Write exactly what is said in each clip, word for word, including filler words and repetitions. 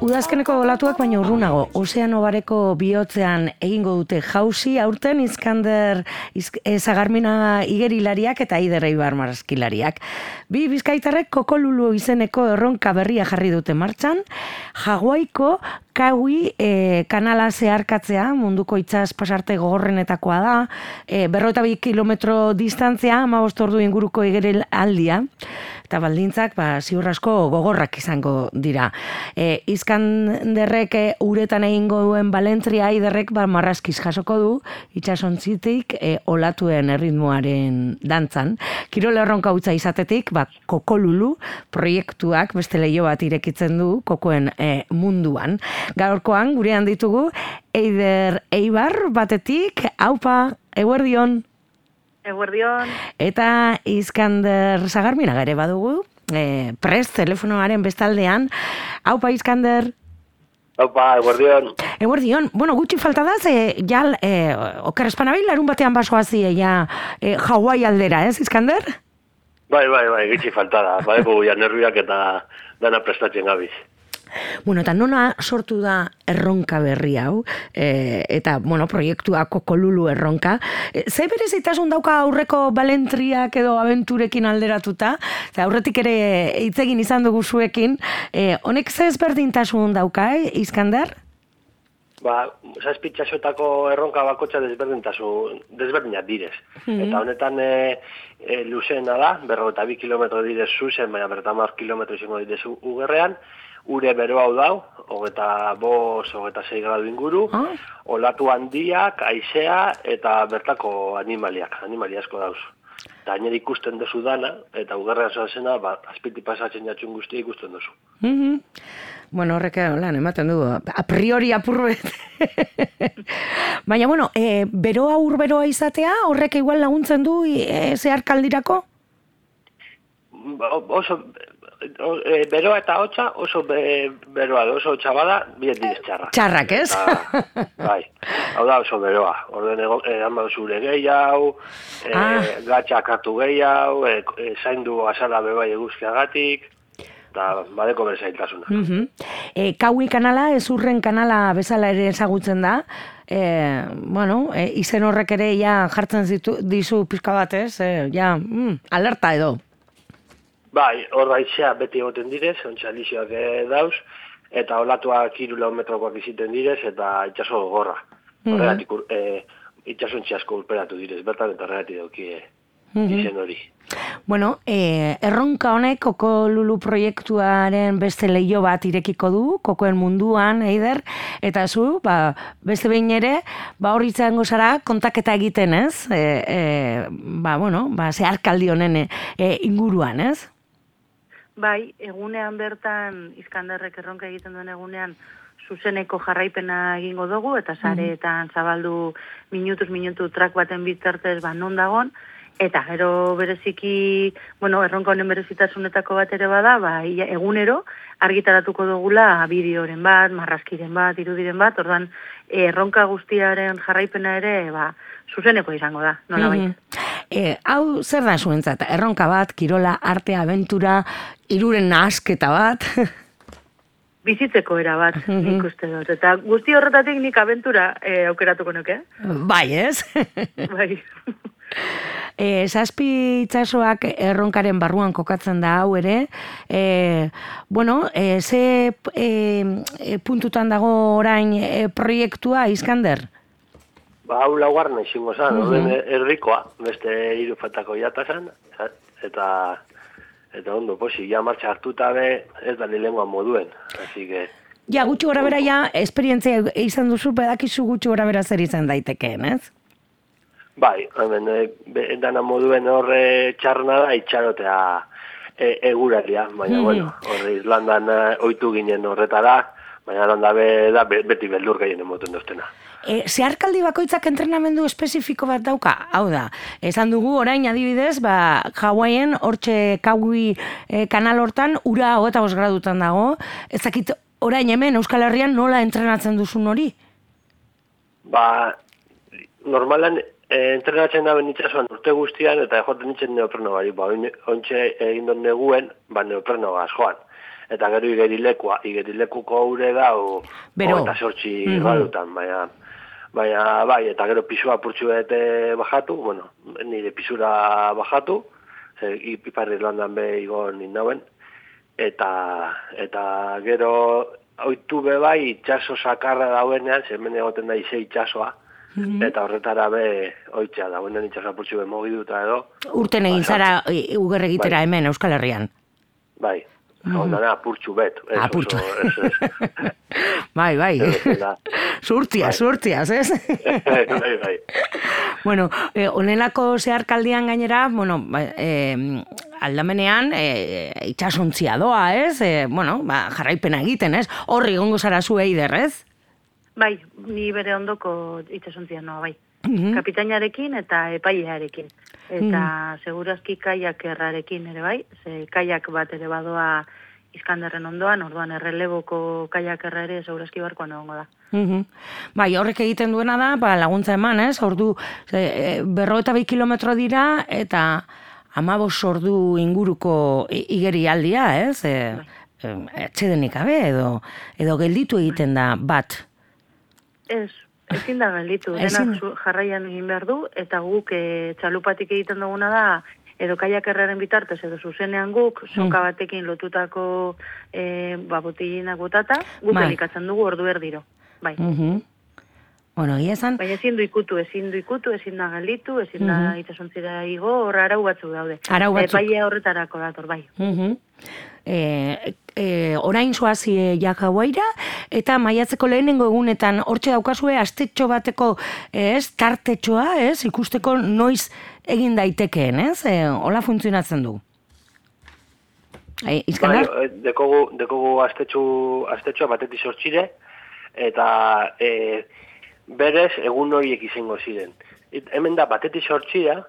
udazkeneko olatuak baina urrunago, ozeano bareko bihotzean egingo dute jauzi, aurten Iskander Zagarmina igerilariak eta Eider Eibar marrazkilariak. Bi bizkaitarrek Kokolulu izeneko erronka berria jarri dute martxan, Hawaiko Kaui e, kanala zeharkatzea, munduko itsas pasarte gogorrenetakoa da, e, berrogeita bi kilometro distantzia, hamabost ordu inguruko igerilaldia, eta baldintzak ba, ziur asko gogorrak izango dira. E, Iskanderrek e, uretan egingo duen balentria Eiderrek ba, marrazkiz jasoko du, itsasontzitik e, olatuen erritmoaren dantzan. Kirol erronka hutsa izatetik, ba, Kokolulu proiektuak beste leiho bat irekitzen du kokoen e, munduan. Gaurkoan gurean ditugu Eider Eibar batetik, aupa, eguerdion. Eguerdion. Eta Iskander Zagarmina ere badugu, e, prest telefonoaren bestaldean. Aupa, Iskander. Aupa, eguerdion. Eguerdion. Bueno, gutxi falta da, ze ja, e, oker espanabil, larun batean basoazi, ja, e, Hawaii aldera, ez, Iskander? Bai, bai, bai, gutxi falta da. Badeko ja nerviak eta dana prestatzen gabiz. Bueno, eta nona sortu da erronka berri hau, e, eta, bueno, proiektua Kokolulu erronka. E, ze berezitasun dauka aurreko balentriak edo abenturekin alderatuta, eta aurretik ere hitzegin izan dugu zuekin, e, honek ze ezberdintasun dauka, eh, Iskander? Ba, zazpitxasotako erronka bakotxa desberdintasun, desberdinak direz. Mm-hmm. Eta honetan e, e, luzeena da, berrogeita bi kilometro direz zuzen, baina berrogeita hamar kilometro izango direz ugerrean, ure bero hau dau, hogeta bos, hogeta sei gradu inguru, ah. olatu handiak, haizea eta bertako animaliak, animali asko dauz. Eta hainer ikusten duzu dana, eta ugerrean zoazena, ba, azpiti pasatzen jatxun guztia ikusten duzu. Mm-hmm. Bueno, horrek lan, ematen du, a priori apurret. Baina, bueno, e, beroa urberoa izatea, horrek igual laguntzen du e, zeharkaldirako? Oso, e, beroa eta hotza oso be, beroa, oso hotza bada, bien direz txarrak. Txarrak, ez? Eta, bai, hau da oso beroa. Orden egan badu zure gehiago, e, ah. gatxak hartu gehiago, e, e, zaindu azala bebai eguzkiagatik, eta badeko berzailtasuna. Uh-huh. E, Kaui kanala, ezurren kanala bezala ere ezagutzen da. E, bueno, e, izen horrek ere ja jartzen zitu, dizu pizka bat, ez? E, ja, mm, alerta edo. Bai, hor daizea beti egoten direz, ontsa lixioak dauz, eta olatuak hiru kilometrokoak iziten direz, eta itxaso gorra. Mm-hmm. Horregatik e, itxasontzi asko urperatu direz, bertan eta horregatik dauki mm-hmm. izen hori. Bueno, eh, erronka honek Kokolulu proiektuaren beste leiho bat irekiko du, kokoen munduan, Eider, eta zu, ba, beste behin ere, ba, hor izango zara kontaketa egiten, ez? E, e, ba, bueno, ba, zeharkaldi honen e, inguruan, ez? Bai, egunean bertan, Iskanderrek erronka egiten duen egunean, zuzeneko jarraipena egingo dugu, eta sareetan zabaldu minutuz minutu trak baten bitartez ba non dagon, eta gero bereziki, bueno, erronka honen berezitasunetako bat ere bada, ba, egunero argitaratuko dugula bideoren bat, marrazkiren bat, irudiren bat, ordan erronka guztiaren jarraipena ere, ba, zuzeneko izango da, nola baita. Mm-hmm. E, hau zer da zuentzat? Erronka bat, kirola, arte, abentura, iruren nahasketa bat? Bizitzeko era bat, mm-hmm. nik uste dut. Eta guzti horretatik nik abentura e, aukeratuko nuke. Bai, ez? Bai. E, zazpi itsasoak erronkaren barruan kokatzen da hau ere. E, bueno, e, ze e, e, puntutan dago orain e, proiektua, Iskander? Ba, hau laugarren izango zan, uh-huh. errikoa, beste hiru fatako jata zan, eta, eta ondo, posi, ja martxa hartuta be, ez da lengua moduen, así que... Ja, gutxi gora bera ja, esperientzia izan duzu, pedakizu gutxi gora bera zer izan daitekeen, ez? Bai, hemen, e, dana moduen horre txarna da, itxarotea e, eguraria, baina, mm-hmm. bueno, horre Islandan ohitu ginen horretara, baina landa be, da beti beldur gehien emoten doztena. E, zeharkaldi bakoitzak entrenamendu espezifiko bat dauka? Hau da, esan dugu orain adibidez, ba, Hawaien, hortxe Kaui e, kanal hortan, ura hogeita bost gradutan dago, ezakit orain hemen Euskal Herrian nola entrenatzen duzun hori? Ba, normalan e, entrenatzen da benitzazuan urte guztian, eta joaten nintzen neopreno bari, ba, ontxe egin dut neguen, ba, neopreno joan. eta gero igerilekua, igerilekuko ure da, o, eta sortzi mm -hmm. gradutan, baina, baina, bai, eta gero pisua purtsu bete bajatu, bueno, nire pisura bajatu, ze, ipar Irlandan be igon nindauen, eta, eta gero, oitu be bai, itxaso sakarra dauenean, zemen egoten da ize itxasoa, mm-hmm. eta horretara be oitzea da, buenen itxasoa purtsu be mogiduta edo. Urten egin zara uger egitera bai. Hemen, Euskal Herrian. Bai, mm-hmm. ondana purtsu bet. Ah, purtsu. Bai, bai. Surtiaz, surtiaz, ez? Bai, bai. Bueno, eh, onelako zeharkaldian gainera, bueno, eh, aldamenean eh, itxasontzia doa, ez? Eh, bueno, ba, jarraipena egiten, ez? Horri gongo zara zu eider, ez? Bai, ni bere ondoko itxasontzia noa, bai. Mm-hmm. Kapitainarekin eta epailearekin. Eta mm. segurazki kaiak errarekin ere bai, ze kaiak bat ere badoa Iskanderren ondoan, orduan erreleboko kaiak erra ere segurazki barkoan egongo da. Mm-hmm. Bai, horrek egiten duena da, ba, laguntza eman, ez? Ordu, e, berro eta bi kilometro dira, eta amabos ordu inguruko igerialdia, ez? E, bai. Etxedenik gabe, edo, edo gelditu egiten da bat. Ez, ezin da gelditu, denak jarraian egin behar du, eta guk e, txalupatik egiten duguna da, edo kaiak erraren bitartez, edo zuzenean guk, soka batekin lotutako e, ba, botillinak botata, guk bai. Elikatzen dugu ordu erdiro. Bai. Uh-huh. Bueno, esan... Baina ezin du ikutu, ezin du ikutu, ezin da gelditu, ezin da uh-huh. itxasontzira igo, horra arau batzuk daude. Arau batzuk. Epaia horretarako dator, bai. Uh-huh. E, e, orain zoazi Jakauaira, eta maiatzeko lehenengo egunetan hortxe daukazue astetxo bateko ez, tartetxoa, ez, ikusteko noiz egin daitekeen, ez? E, hola funtzionatzen du. E, Izkanar? Bai, dekogu, dekogu astetxo, astetxoa batetik sortxire, eta e, berez egun horiek izango ziren. Et, hemen da batetik sortxira,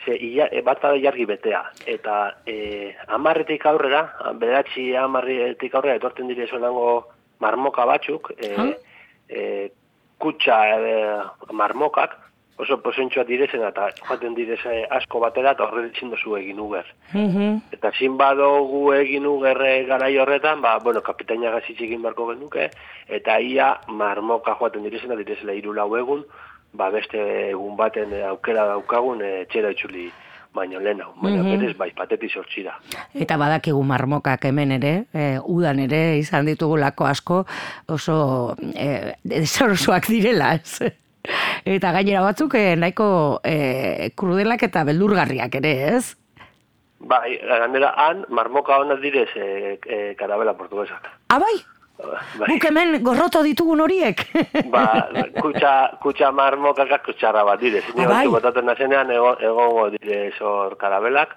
ze, ia, e, bat bada jargi betea, eta e, amarretik aurrera, bederatzi amarretik aurrera, etorten dire zonango marmoka batzuk, e, huh? e, kutsa e, marmokak, oso posentxoa direzen, eta joaten direze asko batera, eta horre ditzindu zu egin uger. Uh-huh. Eta zin badogu egin ugerre garai horretan, ba, bueno, kapitaina gazitxe egin barko genuke, eta ia marmoka joaten direzena, direzela hiru lau egun, ba, beste egun baten aukera daukagun e, txera itxuli baino lehen hau. Baina uh-huh. berez bai, patetik sortxira. Eta badakigu marmokak hemen ere, e, udan ere, izan ditugulako asko, oso e, desorosoak direla, ez? Eta gainera batzuk eh, nahiko eh, krudelak eta beldurgarriak ere, ez? Bai, gainera han, marmoka honaz direz eh, eh, karabela portuguesak. Ah, bai? Bai. Buk hemen gorroto ditugun horiek? Ba, kutsa, kutsa marmokak kutsarra bat direz. Ah, bai? Botaten nazenean egongo ego direz hor karabelak,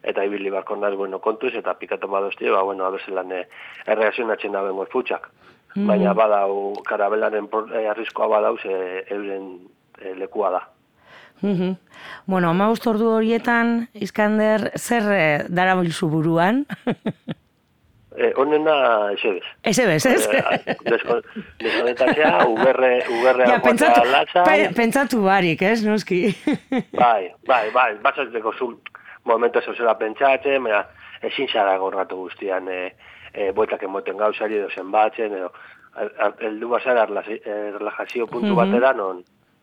eta ibili barko naz, bueno, kontuz, eta pikatu badozti, ba, bueno, abezelan eh, erreazionatzen da bengo futxak. Mm. Baina badau, karabelaren eh, arriskoa badauz, eh, euren eh, lekua da. Mm-hmm. Bueno, amabost ordu horietan, Iskander, zer eh, darabilzu buruan? eh, onena, esebez. Esebez, ez? Eh, Deskonetatzea, uberre, uberre ja, pentsatu, pe, pentsatu barik, ez, noski? bai, bai, bai, batzatzeko zu momentu zozela pentsatzen, baina ezin zara gorratu guztian, eh, E, boetak emoten gauzari edo zenbatzen, edo heldu bazara relajazio puntu uh-huh. batera, non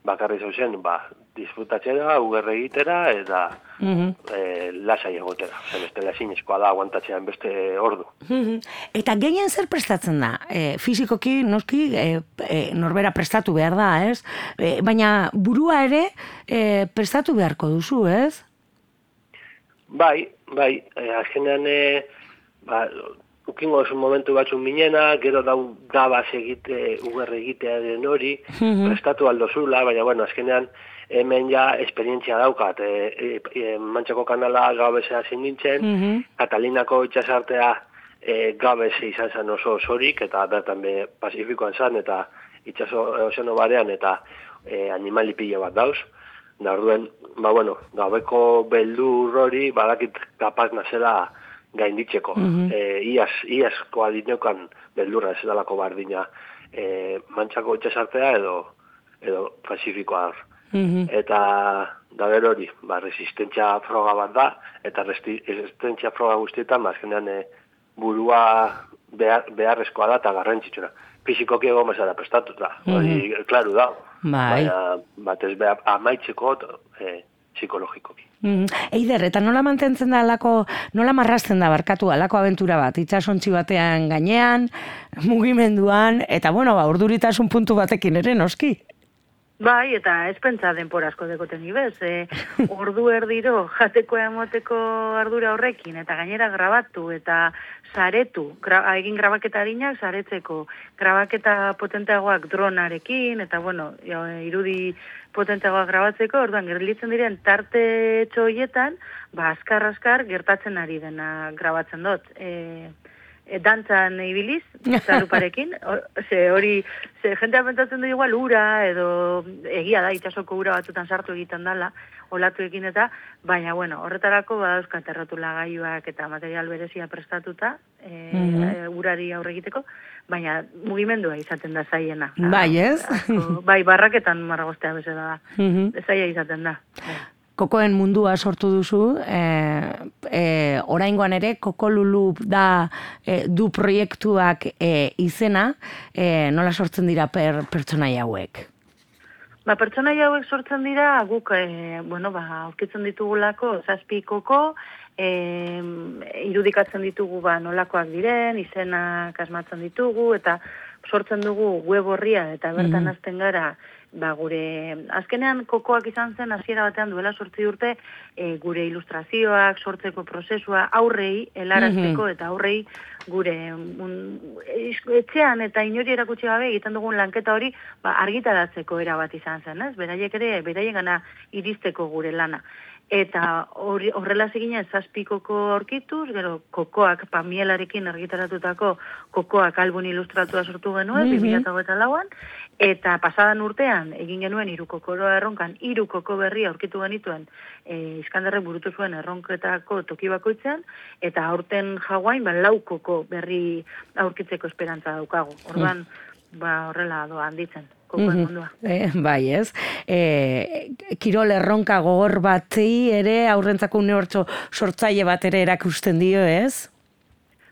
bakarri zauzen, ba, disfrutatzera, ugerre egitera, eta uh-huh. e, lasai egotera. Zer beste lasinezkoa da, aguantatzean beste ordu. Uh-huh. Eta gehien zer prestatzen da? E, fizikoki, noski, e, e, norbera prestatu behar da, ez? E, baina burua ere e, prestatu beharko duzu, ez? Bai, bai, e, azkenean, e, ba, ukingo oso momentu batzun minena, gero dau dabaz egite, ugerre egitea den hori, mm-hmm. prestatu aldozula, baina, bueno, azkenean, hemen ja esperientzia daukat. E, e, e, Mantxako kanala gabezea zin nintzen, mm-hmm. Katalinako itxasartea e, gabeze izan zen oso osorik, eta bertan be Pasifikoan zan, eta itxaso ozeano barean, eta e, animali pila bat dauz. Da, orduen, ba, bueno, gabeko beldur hori, badakit kapaz nazela gainditzeko. Mm-hmm. E, iaz, iazkoa dinokan beldurra ez edalako bardina e, Mantxako itxasartea edo, edo Pasifikoa. Mm-hmm. Eta da gero hori, ba, resistentzia froga bat da, eta resistentzia froga guztietan, bazkenean, e, burua behar, beharrezkoa da eta garrantzitsuna. Fizikoki egon bezala prestatuta, hori, mm-hmm. klaru da. Bai. Baina, batez behar, amaitzeko e, psikologikoki. Mm. Eider, eta nola mantentzen da alako, nola marrazten da barkatu alako abentura bat, itxasontzi batean gainean, mugimenduan, eta bueno, ba, urduritasun puntu batekin ere, noski? Bai, eta ez pentsa denpora asko dekoten ibez. E, ordu erdiro jateko emoteko ardura horrekin, eta gainera grabatu, eta saretu, gra, egin grabaketa harinak saretzeko, grabaketa potenteagoak dronarekin, eta bueno, irudi potenteagoak grabatzeko, orduan gerlitzen diren tarte txoietan, ba, askar-askar gertatzen ari dena grabatzen dut. E, E, dantzan ibiliz, zaruparekin, ze hori, ze jentea pentsatzen du igual ura, edo egia da, itxasoko ura batzutan sartu egiten dala, olatu egin eta, baina, bueno, horretarako badauzka terratula gaiuak eta material berezia prestatuta, e, mm-hmm. urari aurre egiteko, baina mugimendua izaten da zaiena. Bai, ez? Asko, bai, barraketan marragostea bezala da, mm-hmm. zaila izaten da. Kokoen mundua sortu duzu, e, e, oraingoan ere Kokolulu da e, du proiektuak e, izena, e, nola sortzen dira per, pertsonaia hauek? Ba, pertsonaia hauek sortzen dira, guk, e, bueno, ba, aurkitzen ditugulako zazpi koko, e, irudikatzen ditugu ba, nolakoak diren, izenak asmatzen ditugu, eta sortzen dugu web horria, eta bertan mm. azten gara, ba, gure, azkenean kokoak izan zen hasiera batean duela sortzi urte, e, gure ilustrazioak, sortzeko prozesua, aurrei, helarazteko mm-hmm. eta aurrei gure un, etxean eta inori erakutsi gabe egiten dugun lanketa hori ba, argitaratzeko era bat izan zen, ez? Beraiek ere, beraien gana iristeko gure lana. Eta horrela zeginen zazpi koko aurkituz, gero kokoak pamielarekin argitaratutako kokoak album ilustratua sortu genuen, mm-hmm. bi mila hogeita lauan, eta pasadan urtean egin genuen hiru kokoroa erronkan, hiru koko berri aurkitu genituen e, Iskanderrek burutu zuen erronketako toki bakoitzean, eta aurten Hawaiin ba, lau koko berri aurkitzeko esperantza daukagu. Orduan, mm. ba, horrela doa handitzen. Mm-hmm. Eh, bai, ez. Eh, kirol erronka gogor bati ere aurrentzako unibertso sortzaile bat ere erakusten dio, ez?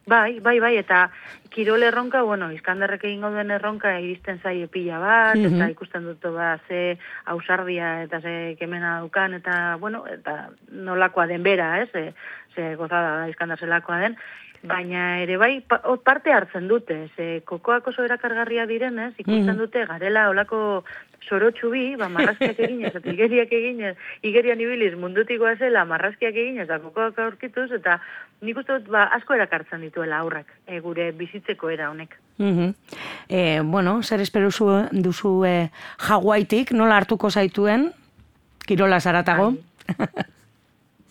Bai, bai, bai, eta kirol erronka, bueno, Iskanderrek egingo duen erronka iristen zaie pila bat, mm-hmm. eta ikusten dut ba, ze ausardia eta ze kemena dukan, eta, bueno, eta nolakoa den bera, ez? Ze, ze gozada da Iskander zelakoa den. Baina ere bai, parte hartzen dute, ze kokoak oso erakargarria direnez, ikusten dute garela olako sorotxu bi, ba, marrazkiak eginez, eta igeriak eginez, igerian ibiliz mundutikoa zela, marrazkiak eginez, eta kokoak aurkituz, eta nik uste dut ba, asko erakartzen dituela aurrak, e, gure bizitzeko era honek. Mm-hmm. E, bueno, zer espero duzu e, Hawaiitik, nola hartuko zaituen, kirola zaratago?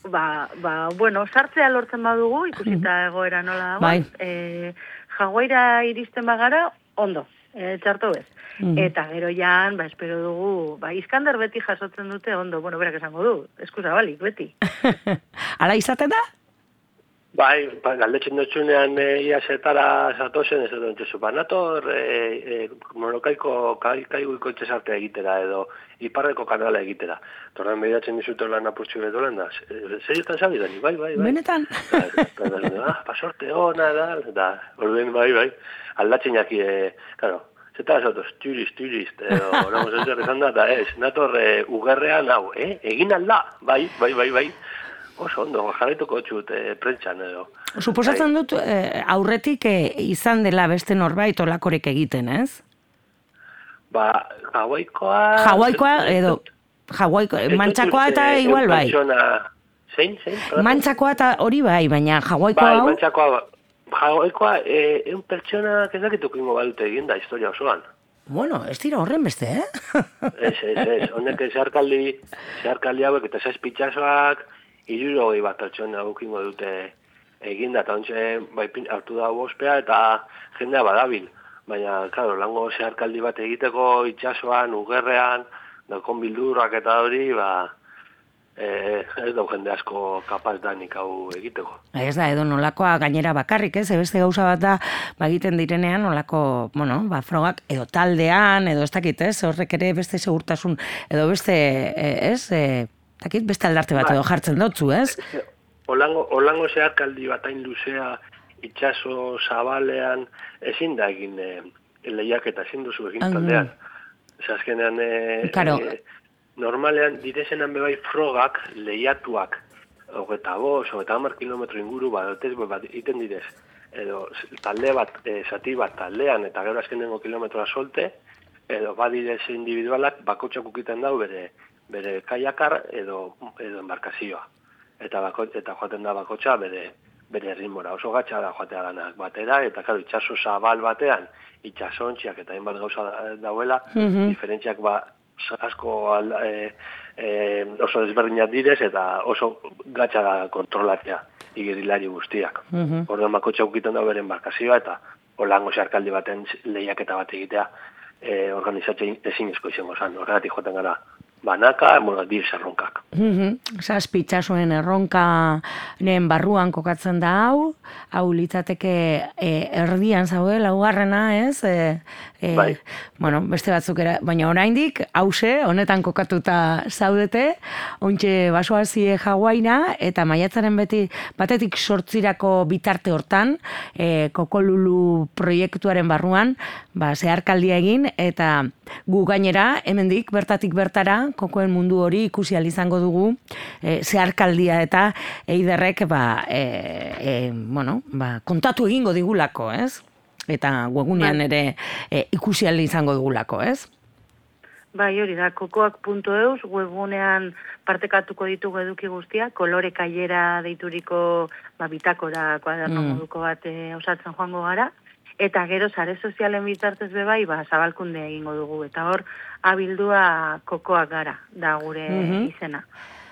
Ba, ba, bueno, sartzea lortzen badugu, ikusita egoera nola dago. Bai. E, Hawaiira iristen bagara, ondo, e, txarto bez. Mm. Eta gero jan, ba, espero dugu, ba, Iskander beti jasotzen dute ondo, bueno, berak esango du, eskusa balik, beti. Ala izaten da? Bai, ba, galdetzen dutxunean e, iasetara zatozen, ez dut entzuzu, ba, nator e, e, monokaiko kai, kaiguiko itxesartea egitera, edo iparreko kanala egitera. Torren behiratzen dizute lan apurtxu betolen da, zerietan zabidan, bai, bai, bai. Benetan? Ah, pasorte hona, da, da, orduen, bai, bai, aldatzen jaki, e, claro, zeta zatoz, turist, turist, edo, nago, zer esan da, da, ez, nator e, ugerrean hau, eh, egin alda, bai, bai, bai, bai. Oso ondo, jarraituko txut e, prentxan edo. Suposatzen dut e, aurretik e, izan dela beste norbait olakorek egiten, ez? Ba, Hawaiikoa... Hawaiikoa edo... Hawaiikoa, mantxakoa eta igual bai. Zein, zein? Mantxakoa eta hori bai, baina Hawaiikoa hau... Bai, mantxakoa, Hawaiikoa, e, eun pertsona kezakituk ingo balute egin da historia osoan. Bueno, ez dira horren beste, eh? Ez, ez, ez, honek zeharkaldi, zeharkaldi hauek eta zazpitxasoak, irurogei bat pertsona gukingo dute eginda, eta ontsa bai, hartu da ospea eta jendea badabil. Baina, claro, lango zeharkaldi bat egiteko itxasoan, ugerrean, dakon bildurrak eta hori, ba, e, ez dau jende asko kapaz danik hau egiteko. Ez da, edo nolakoa gainera bakarrik, ez? Beste gauza bat da, ba, egiten direnean, nolako, bueno, ba, frogak, edo taldean, edo ez dakit, ez? Horrek ere beste segurtasun, edo beste, ez? E, Takit beste aldarte bat edo jartzen dutzu, ez? Olango, olango zeharkaldi batain luzea itxaso zabalean ezin da egin e, lehiaketa, ezin duzu egin taldean. Zer azkenean, e, claro. e, normalean direzenan bebai frogak lehiatuak, hogeta bost, hogeta hamar kilometro inguru bat, bat iten direz. Edo talde bat, e, zati bat taldean, eta gero azkenengo kilometroa solte, edo badirez individualak bakotxak ukiten dau bere, bere kaiakar edo, edo embarkazioa. Eta, bako, eta joaten da bakotxa bere, bere ritmora. Oso gatsa da joatea danak batera, eta karo, itxaso zabal batean, itxasontziak eta hainbat gauza dauela, mm-hmm. diferentziak ba, asko e, e, oso desberdinak direz, eta oso gatsa da kontrolatzea igerilari guztiak. Mm-hmm. Orduan bakotxa ukiten da bere embarkazioa, eta holango xarkaldi baten lehiaketa bat egitea e, organizatzen ezin esko izango zan. Horregatik joaten gara banaka, bueno, direz erronkak. Mm-hmm. Zazpi itxasoen erronkaren barruan kokatzen da hau, hau litzateke e, erdian zaude, laugarrena, ez? E, e, bai. Bueno, beste batzuk era, baina oraindik hause, honetan kokatuta zaudete, ontxe basoazie Hawaiina, eta maiatzaren beti batetik sortzirako bitarte hortan, e, Kokolulu proiektuaren barruan, ba, zeharkaldia egin, eta gu gainera, hemendik bertatik bertara, kokoen mundu hori ikusi ahal izango dugu, e, zeharkaldia eta eiderrek ba, e, e, bueno, ba, kontatu egingo digulako, ez? Eta webgunean ere e, ikusi ahal izango dugulako, ez? Bai, hori da, kokoak puntu eus, webgunean partekatuko ditugu eduki guztia, kolore kailera deituriko ba, bitakora kuaderno mm. moduko bat e, osatzen joango gara, eta gero sare sozialen bitartez bebai, ba, zabalkunde egingo dugu, eta hor, abildua kokoak gara, da gure mm-hmm. izena.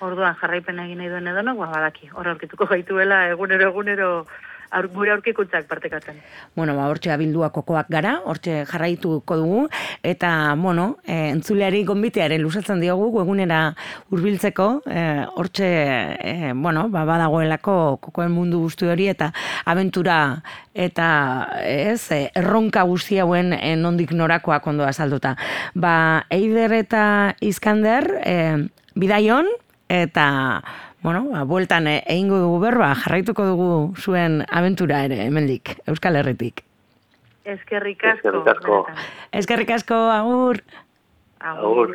Orduan jarraipen egin nahi duen edonok, ba, badaki, hor aurkituko gaituela, egunero, egunero, aur, gure aurkikuntzak partekatzen. Bueno, ba, hortxe abildua kokoak gara, hortxe jarraituko dugu, eta, bueno, e, entzuleari gonbitearen lusatzen diogu, egunera hurbiltzeko, e, hortxe, e, bueno, ba, badagoelako kokoen mundu guzti hori, eta abentura, eta, ez, erronka guzti hauen e, nondik norakoak ondo azalduta. Ba, Eider eta Iskander, e, bidaion, eta, bueno, ba, bueltan egingo dugu berba, jarraituko dugu zuen abentura ere, hemendik, Euskal Herritik. Eskerrik asko. Eskerrik asko. Eskerrik asko, agur. Agur.